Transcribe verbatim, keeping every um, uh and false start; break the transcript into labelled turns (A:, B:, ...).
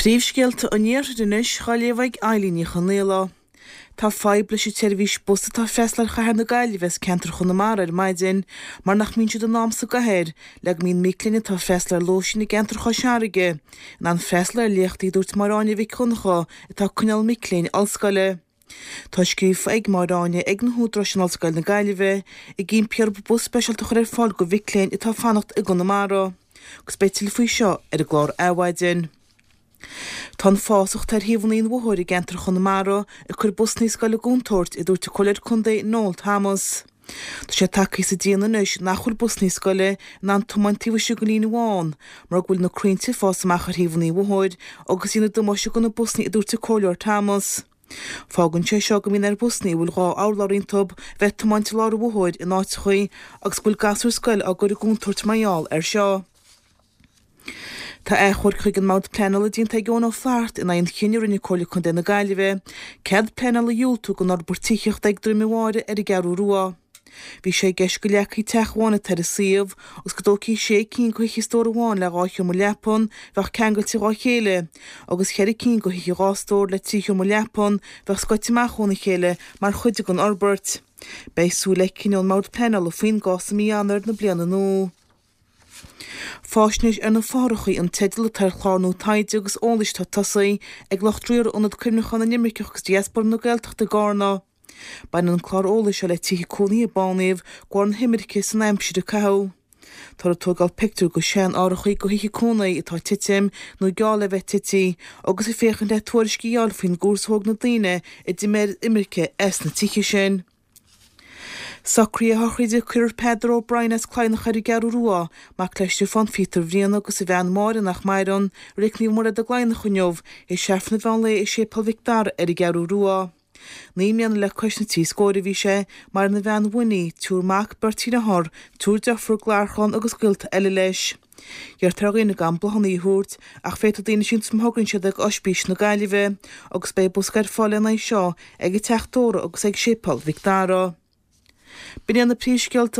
A: Príomhscéalta an Iarthair anois á léamh ag Eilín Ní Chonaola. Tá fadhb leis an tseirbhís bus atá ag freastal ar chathair na Gaillimhe as ceantar Chonamara ar maidin mar nach mbíonn siad in am sa gcathair le go mbíonn mic léinn atá ag freastal ar lóistín i gceantar Chois Fharraige in ann freastal ar léachtaí a dúirt Máire Áine Mhic Dhonncha atá ag coinneáil mic léinn ollscoile. Tá scríofa ag Máire Áine ag na húdaráis in Ollscoil na Gaillimhe ag impí orthu bus speisialta a chur ar fáil do mhic léinn atá ag fanacht i gConamara. Agus beidh tuilleadh faoi seo ar an gclár Adhmhaidin. Tá an fásach atá ar thaobhanna an bhóthair i gceantar Chonamara ag cur busanna scoile i gcontúirt, a dúirt an Comhairleoir Contae Noel Thomas. Tá sé tagtha sa déan anois nach bhfuil busanna scoile in ann tiomáint taobh istigh den líne bhán mar go bhfuil na crainnte ag fás amach ar thaobhanna an bhóthair agus ag déanamh damáiste do na busanna, a dúirt an Comhairleoir Thomas. Fágann sé seo go mbíonn ar bhusanna a bhfuil dhá urlár iontu bheith ag tiomáint i lár an bhóthair in áiteachaí agus go bhfuil gasúir scoile á gcur i gcontúirt mar gheall air seo. Tá achomharc chuig an mBord Pleanála déanta ag Eoin Ó Flaithearta in aghaidh an chinnidh a rinne Comhairle Contae na Gaillimhe cead pleanála a dhiúltú don fhorbairt tithíochta ag Droim an Bháire ar an gCeathrú Rua. Bhí sé i gceist go leagfaí teach amháin atá ar an suíomh agus go dtógfaí sé cinn de thithe stór amháin le dhá sheomra leapan bheadh ceangailte dhá chéile agus ceithre cinn de thithe dhá stór le trí sheomra leapan bheadh scoite amach óna chéile mar chuid den fhorbairt. Beidh súil le cinneadh ón mBord Pleanála faoin gcás i mí Eanáir na bliana nua. Faisnéis ar na Fothrachaí an teideal atá ar chlár nua taighde agus eolais atá tosaithe ag lucht riartha Ionad Cuimhneacháin na nImirceach agus Diaspóra na Gaeltachta i gCarna. Baineann an clár eolais seo le tithe cónaithe a bánaíodh de bharr na himirce san aimsir a caitheadh. Táthar ag tógáil pictiúr de shean-árachaí de thithe cónaithe atá ag titim nó geall le bheith tite agus ag féachaint le tuairiscí a fháil faoin gcúrsa a thóg na daoine a d'imigh ar imirce as na tithe sin. Socruithe sochraide Cuireadh Peadar O'Brien as Cladhnach ar an gCeathrú Rua, mac le Stiofán Phíotair Bhriain agus a bhean Máire nach maireann, i Reilig Naomh Muire i gCladhnach inniu, théis Aifreann an mheán lae i Séipéal Mhic Dara ar an gCeathrú Rua. Naoi mbliana le cois na trí scóir a bhí sé, maireann a bhean Winnie, triúr mac, beirt dhearthár, triúr deirfiúr, garchlann agus gaolta eile leis. Iarrtar ar dhaoine gan bláthanna a thabhairt ach féadfaidh daoine síntiús má thograíonn siad ag Oispís na Gaillimhe agus beidh bosca ar fáil lena aghaidh seo ag an Teach Tórraimh agus ag Séipéal Mhic Dara. B'in iad na príomhscéalta.